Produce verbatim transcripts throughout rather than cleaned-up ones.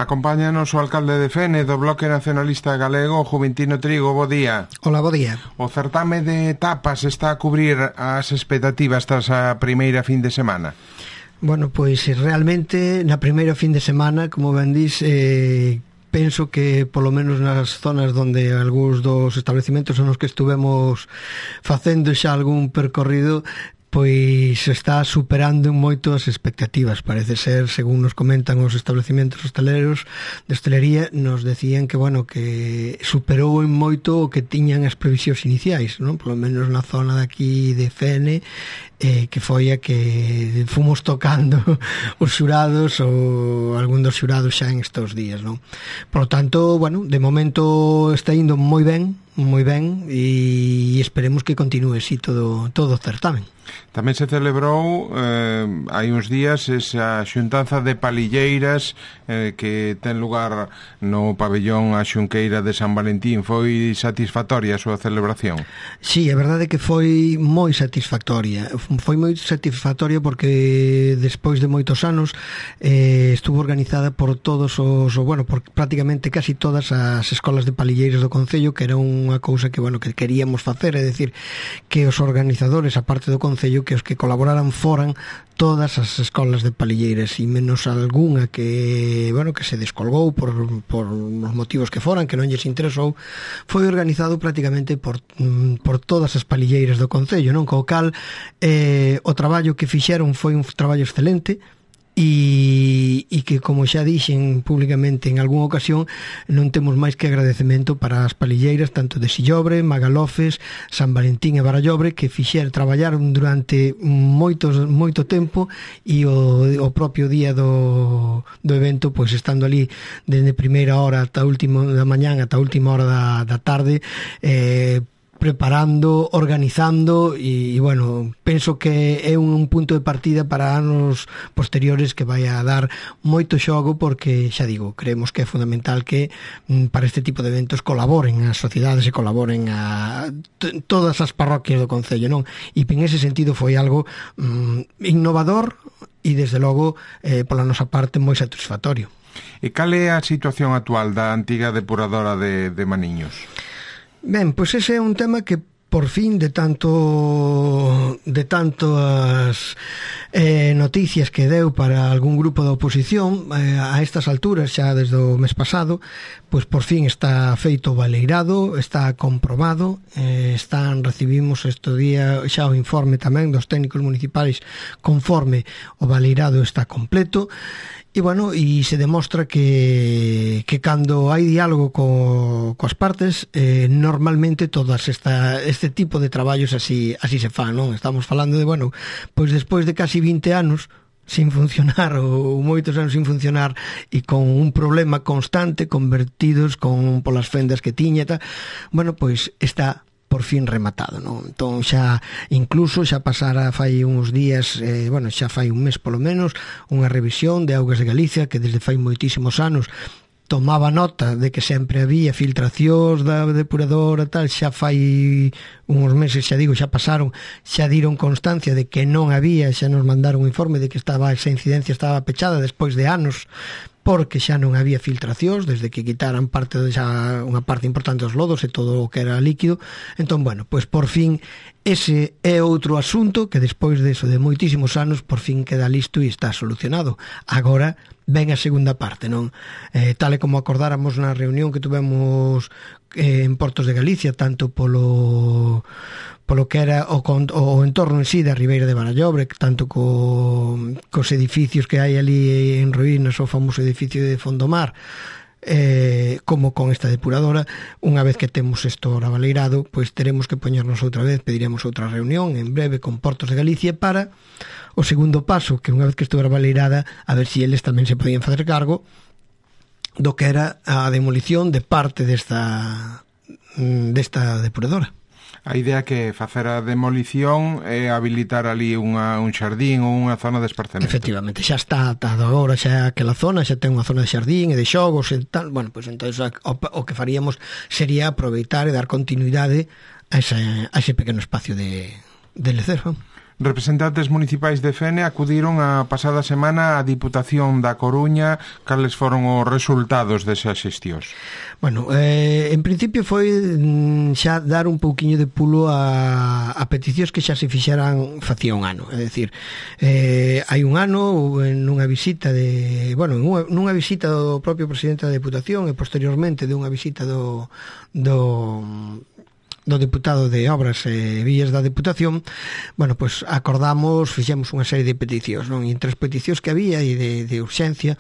Acompáñanos o alcalde de Fene do Bloque Nacionalista Galego, Juventino Trigo. Bo día. Hola, bo día. O certame de tapas está a cubrir as expectativas tras a primeira fin de semana? Bueno, pois realmente na primeira fin de semana, como ben dis, eh, penso que polo menos nas zonas onde algúns dos establecimentos nos que estuvemos facendo xa algún percorrido, pois está superando en moito as expectativas. Parece ser, según nos comentan os establecimentos hosteleros de hostelería, nos decían que, bueno, que superou en moito o que tiñan as previsións iniciais, non? Polo menos na zona de aquí de Fene, eh, que foi a que fomos tocando os xurados ou algún dos xurados xa en estes días, non? Por lo tanto, bueno, de momento está indo moi ben, moi ben, e esperemos que continúe así todo, todo o certamen. Tamén se celebrou eh, hai uns días esa xuntanza de palilleiras eh, que ten lugar no pabellón A Xunqueira de San Valentín. Foi satisfactoria a súa celebración? Sí, a verdade é que foi moi satisfactoria. Foi moi satisfactoria porque despois de moitos anos eh, estuvo organizada por todos os, bueno, por prácticamente casi todas as escolas de palilleiras do Concello, que era unha cousa que, bueno, que queríamos facer, é dicir, que os organizadores, a parte do Concello, que os que colaboraran foran todas as escolas de palilleiras, e menos algunha que, bueno, que se descolgou por, por os motivos que foran, que non lles interesou. Foi organizado prácticamente por, por todas as palilleiras do Concello, non? Co cal eh, o traballo que fixeron foi un traballo excelente, e, e que, como xa dixen públicamente en algunha ocasión, non temos máis que agradecemento para as palilleiras tanto de Sillobre, Magalofes, San Valentín e Barallobre, que fixer, traballaron durante moitos, moito tempo, e o, o propio día do, do evento, pois estando ali desde primeira hora ata última da mañán ata última hora da, da tarde, eh, preparando, organizando, e, e bueno, penso que é un, un punto de partida para anos posteriores que vai a dar moito xogo, porque, xa digo, creemos que é fundamental que mm, para este tipo de eventos colaboren as sociedades e colaboren a t- todas as parroquias do Concello, non? E en ese sentido foi algo mm, innovador e, desde logo, eh, pola nosa parte, moi satisfactorio. E cal é a situación actual da antiga depuradora de, de Maniños? Ben, pois ese é un tema que por fin de tanto de tantas eh, noticias que deu para algún grupo da oposición eh, a estas alturas, xa desde o mes pasado, pois por fin está feito o baleirado, está comprobado, eh, están recibimos este día xa o informe tamén dos técnicos municipais conforme o baleirado está completo. E, bueno, e se demostra que, que cando hai diálogo co, coas partes, eh, normalmente todas esta, este tipo de traballos así, así se fan, non? Estamos falando de, bueno, pois despois de casi vinte anos sin funcionar, ou moitos anos sin funcionar, e con un problema constante, convertidos con polas fendas que tiña, ta, bueno, pois está por fin rematado, non? Entón xa, incluso xa pasara fai uns días, eh, bueno, xa fai un mes polo menos, unha revisión de Augas de Galicia, que desde fai moitísimos anos tomaba nota de que sempre había filtracións da depuradora, tal, xa fai uns meses, xa digo, xa pasaron, xa diron constancia de que non había, xa nos mandaron un informe de que estaba esa incidencia estaba pechada despois de anos, porque xa non había filtracións desde que quitaran parte de xa, unha parte importante dos lodos e todo o que era líquido. Entón, bueno, pois por fin ese é outro asunto que despois de eso, de moitísimos anos, por fin queda listo e está solucionado. Agora ven a segunda parte, non? Eh, tal e como acordáramos na reunión que tuvemos eh, en Portos de Galicia, tanto polo polo que era o, o entorno en sí da Ribeira de Barallobre, tanto co, cos edificios que hai ali en ruínas, o famoso edificio de Fondomar, eh, como con esta depuradora. Unha vez que temos isto ahora baleirado, pois teremos que poñernos outra vez, pediremos outra reunión en breve con Portos de Galicia para o segundo paso, que unha vez que estivera baleirada, a ver se si eles tamén se podían facer cargo do que era a demolición de parte desta desta depuradora. A idea que facer a demolición é habilitar ali unha, un xardín ou unha zona de esparcemento. Efectivamente, xa está atado agora, xa aquela zona, xa ten unha zona de xardín e de xogos e tal. Bueno, pois entón o, o que faríamos sería aproveitar e dar continuidade a ese, a ese pequeno espacio de, de lecer. representantes municipais de Fene acudiron a pasada semana á Diputación da Coruña. Cales foron os resultados desas xestións? Bueno, eh, en principio foi xa dar un pouquiño de pulo a, a peticións que xa se fixeran facía un ano. É dicir, eh, hai un ano nunha visita de, bueno, nunha, nunha visita do propio presidente da Diputación e posteriormente de unha visita do do do deputado de Obras e Vías da Deputación, bueno, pues acordamos, fixemos unha serie de peticións, non? E entre as peticións que había e de, de urxencia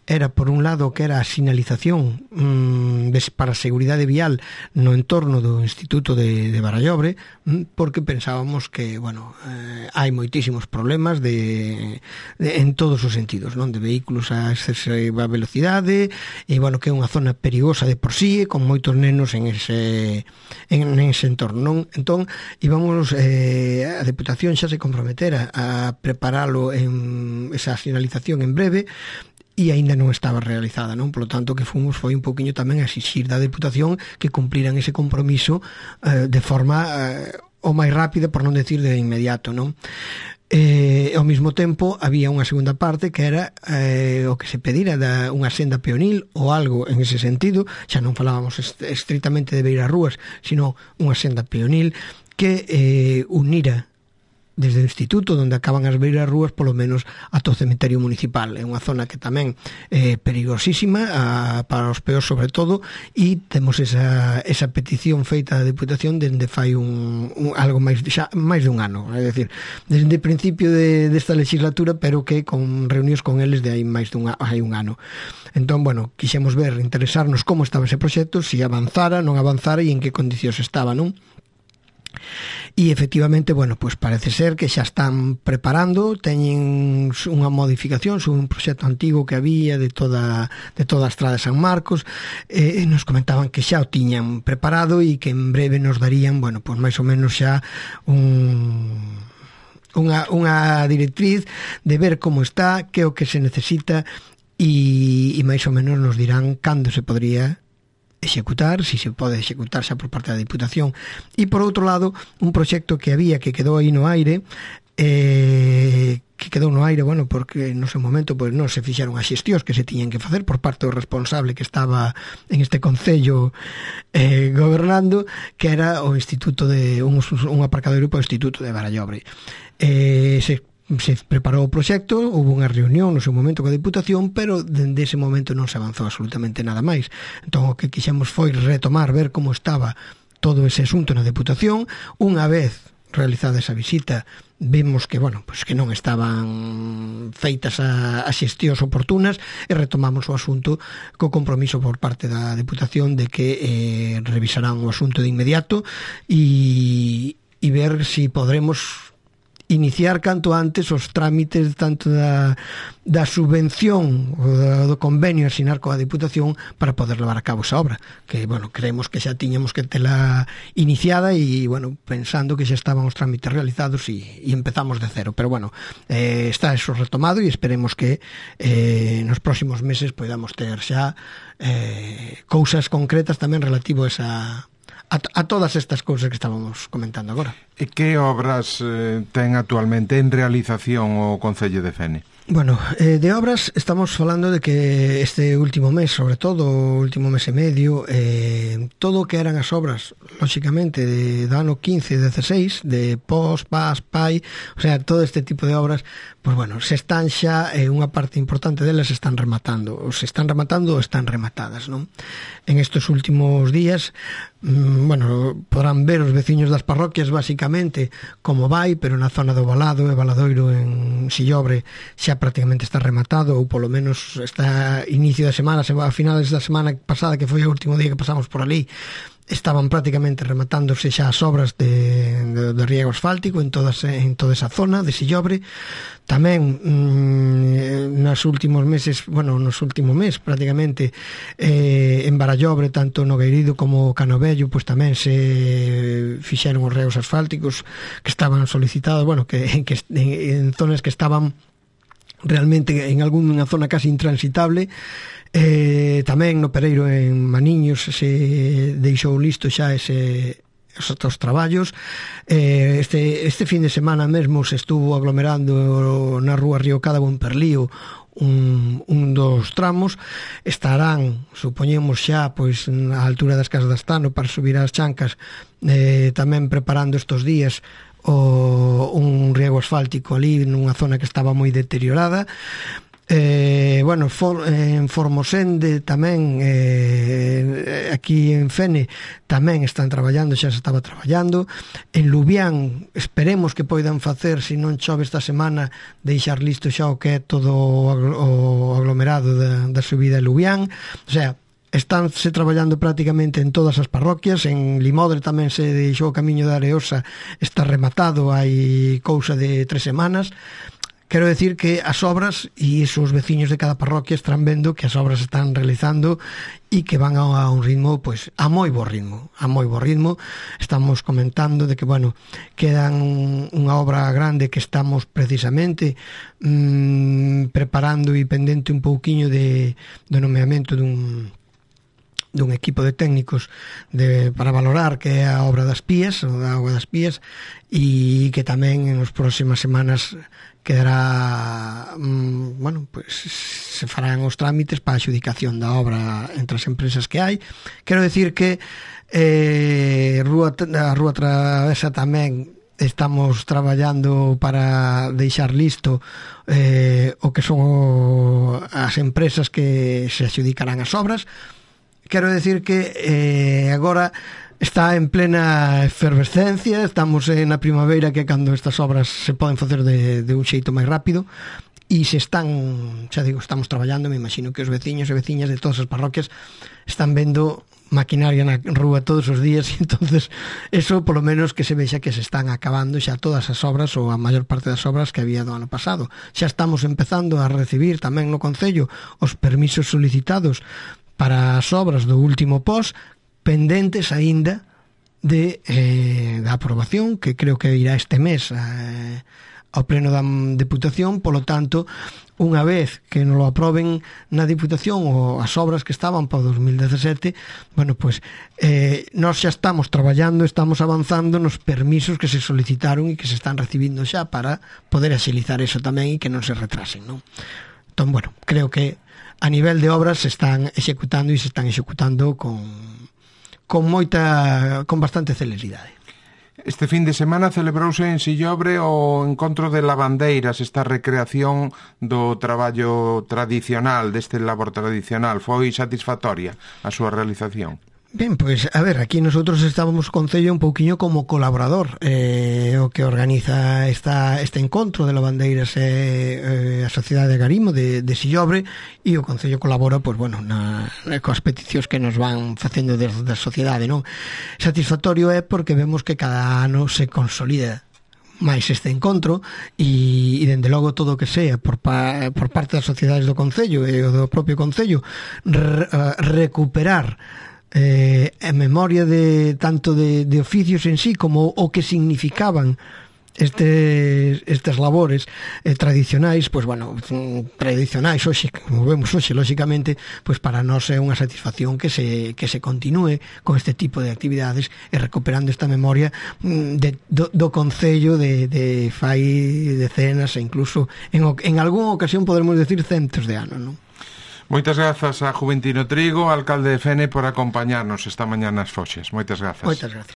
era, por un lado, que era a sinalización mmm, para a seguridade vial no entorno do Instituto de, de Barallobre, mmm, porque pensábamos que, bueno, eh, hai moitísimos problemas de, de, en todos os sentidos, non? De vehículos a excesiva velocidade e, bueno, que é unha zona perigosa de por sí, con moitos nenos en ese en en ese entorno, non? Entón, íbamos, eh, a Deputación xa se comprometera a preparalo en esa sinalización en breve e aínda non estaba realizada, non? Polo tanto, que fomos foi un pouquiño tamén a exixir da Deputación que cumpliran ese compromiso eh, de forma eh, o máis rápida, por non decir de inmediato, non? E ao mesmo tempo había unha segunda parte que era eh, o que se pedira da unha senda peonil ou algo en ese sentido, xa non falábamos est- estritamente de beiras rúas, sino unha senda peonil que eh, unira desde o instituto onde acaban as beiras rúas polo menos ata o cemiterio municipal. É unha zona que tamén é perigosísima a, para os peós sobre todo, e temos esa, esa petición feita da Deputación dende fai un, un algo máis xa, máis de un ano, é dicir, desde o principio de, desta legislatura, pero que con reunións con eles de hai máis de un, hai un ano. Entón, bueno, quixemos ver, interesarnos como estaba ese proxecto, se si avanzara, non avanzara e en que condicións estaba, non? E efectivamente, bueno, pues parece ser que xa están preparando, teñen unha modificación sobre un proxecto antigo que había de toda de toda a estrada de San Marcos, e eh, nos comentaban que xa o tiñan preparado e que en breve nos darían, bueno, pues máis ou menos xa un unha, unha directriz de ver como está, que é o que se necesita e, e máis ou menos nos dirán cando se podría executar, si se pode executar xa por parte da Diputación. E por outro lado, un proxecto que había que quedou aí no aire, eh, que quedou no aire, bueno, porque no seu momento pois non se fixeron as xestións que se tiñan que facer por parte do responsable que estaba en este concello eh, gobernando, que era o Instituto de un, un aparcadero para o Instituto de Barallobre. Eh, se se preparou o proxecto, houve unha reunión no seu momento coa Diputación, pero dende ese momento non se avanzou absolutamente nada máis. Entón, o que quixemos foi retomar, ver como estaba todo ese asunto na Diputación. Unha vez realizada esa visita, vimos que, bueno, pues que non estaban feitas a, a xestións oportunas e retomamos o asunto co compromiso por parte da Diputación de que eh, revisarán o asunto de inmediato e, e ver si podremos iniciar canto antes os trámites tanto da, da subvención ou do, do convenio a asinar coa Diputación para poder levar a cabo esa obra, que, bueno, creemos que xa tiñamos que tela iniciada e, bueno, pensando que xa estaban os trámites realizados e, e empezamos de cero, pero, bueno, eh, está eso retomado e esperemos que eh, nos próximos meses podamos ter xa eh, cousas concretas tamén relativo a esa A, a todas estas cousas que estábamos comentando agora. E que obras eh, ten actualmente en realización o Concello de Fene? Bueno, eh, de obras estamos falando de que este último mes, sobre todo o último mes e medio, eh, todo o que eran as obras, lóxicamente, de, do ano quince e dezasseis, de P O S, P A S, P A I, o sea, todo este tipo de obras, pues bueno, se están xa, eh, unha parte importante delas se están rematando, ou se están rematando ou están rematadas, non? En estes últimos días, mmm, bueno, podrán ver os veciños das parroquias, basicamente, como vai, pero na zona do Valado e Valadoiro en Sillobre xa prácticamente está rematado, ou polo menos está inicio da semana, a finales da semana pasada, que foi o último día que pasamos por ali, estaban prácticamente rematándose xa as obras de, de, de riego asfáltico en, todas, en toda esa zona de Sillobre. Tamén mmm, nos últimos meses, bueno, nos últimos mes prácticamente eh, en Barallobre, tanto no Gueirido como Canovello, pues tamén se fixeron os reos asfálticos que estaban solicitados, bueno, que, que en, en zonas que estaban realmente en algunha zona casi intransitable. Eh, tamén no Pereiro en Maniños se deixou listo xa ese os outros traballos. Eh, este, este fin de semana mesmo se estuvo aglomerando na rúa Río Cádabo en Perlío un, un dos tramos. Estarán, supoñemos xa, pois na altura das Casas de Astano para subir as Chancas, eh, tamén preparando estos días o, un riego asfáltico ali nunha zona que estaba moi deteriorada. Eh, bueno, for, eh, en Formosende tamén, eh, aquí en Fene tamén están traballando, xa se estaba traballando. En Lubián esperemos que poidan facer, se non chove esta semana, deixar listo xa o que é todo o aglomerado da, da subida de Lubián. O sea, estánse traballando prácticamente en todas as parroquias. En Limodre tamén se deixou o camiño da Areosa, está rematado hai cousa de tres semanas. Quero decir que as obras, e iso os veciños de cada parroquia están vendo que as obras están realizando e que van a un ritmo, pois, a moi bo ritmo, a moi bo ritmo. Estamos comentando de que, bueno, quedan unha obra grande que estamos precisamente mmm, preparando e pendente un pouquiño de, de nomeamento dun dun equipo de técnicos de, para valorar, que é a obra das Pías, o da Auga das Pías, e que tamén en as próximas semanas quedará, mmm, bueno, pues se farán os trámites para a adjudicación da obra entre as empresas que hai. Quero decir que eh, Rúa, a Rúa Travesa tamén estamos traballando para deixar listo eh, o que son o, as empresas que se adjudicarán as obras. Quero decir que eh, agora está en plena efervescencia, estamos na primavera, que é cando estas obras se poden facer de, de un xeito máis rápido, e se están, xa digo, estamos traballando. Me imagino que os veciños e veciñas de todas as parroquias están vendo maquinaria na rúa todos os días, e entonces eso polo menos que se vexa que se están acabando xa todas as obras, ou a maior parte das obras que había do ano pasado. Xa estamos empezando a recibir tamén no Concello os permisos solicitados para as obras do último pós, pendentes aínda de eh, da aprobación, que creo que irá este mes eh, ao pleno da Deputación. Polo tanto, unha vez que nos lo aproben na Diputación ou as obras que estaban para o dos mil dezasete, bueno, pues eh, nós xa estamos traballando, estamos avanzando nos permisos que se solicitaron e que se están recibindo xa para poder axilizar eso tamén e que non se retrasen, non? Entón, bueno, creo que a nivel de obras se están executando e se están executando con, con moita, con bastante celeridade. Este fin de semana celebrouse en Sillobre o encontro de lavandeiras, esta recreación do traballo tradicional, deste labor tradicional. Foi satisfactoria a súa realización? Ben, pois, a ver, aquí nosotros estábamos Concello un pouquiño como colaborador, eh, o que organiza esta, este encontro de lavandeiras eh, eh, a Sociedade de Agarimo de, de Sillobre, e o Concello colabora, pois, bueno, na, coas peticións que nos van facendo desde a sociedade, non? Satisfactorio é porque vemos que cada ano se consolida máis este encontro, e, e dende logo todo o que sea por, pa, por parte das sociedades do Concello e do propio Concello re, uh, recuperar eh, a memoria de tanto de, de oficios en sí como o que significaban estes, estas labores eh, tradicionais, pois, bueno, tradicionais hoxe, como vemos hoxe, lóxicamente, pois para nós é unha satisfacción que se, que se continúe con este tipo de actividades e recuperando esta memoria de, do, do Concello de, de fai decenas e incluso en, en algunha ocasión podremos decir centos de anos, non? Moitas grazas a Juventino Trigo, alcalde de Fene, por acompañarnos esta mañá nas Foxes. Moitas grazas. Moitas grazas.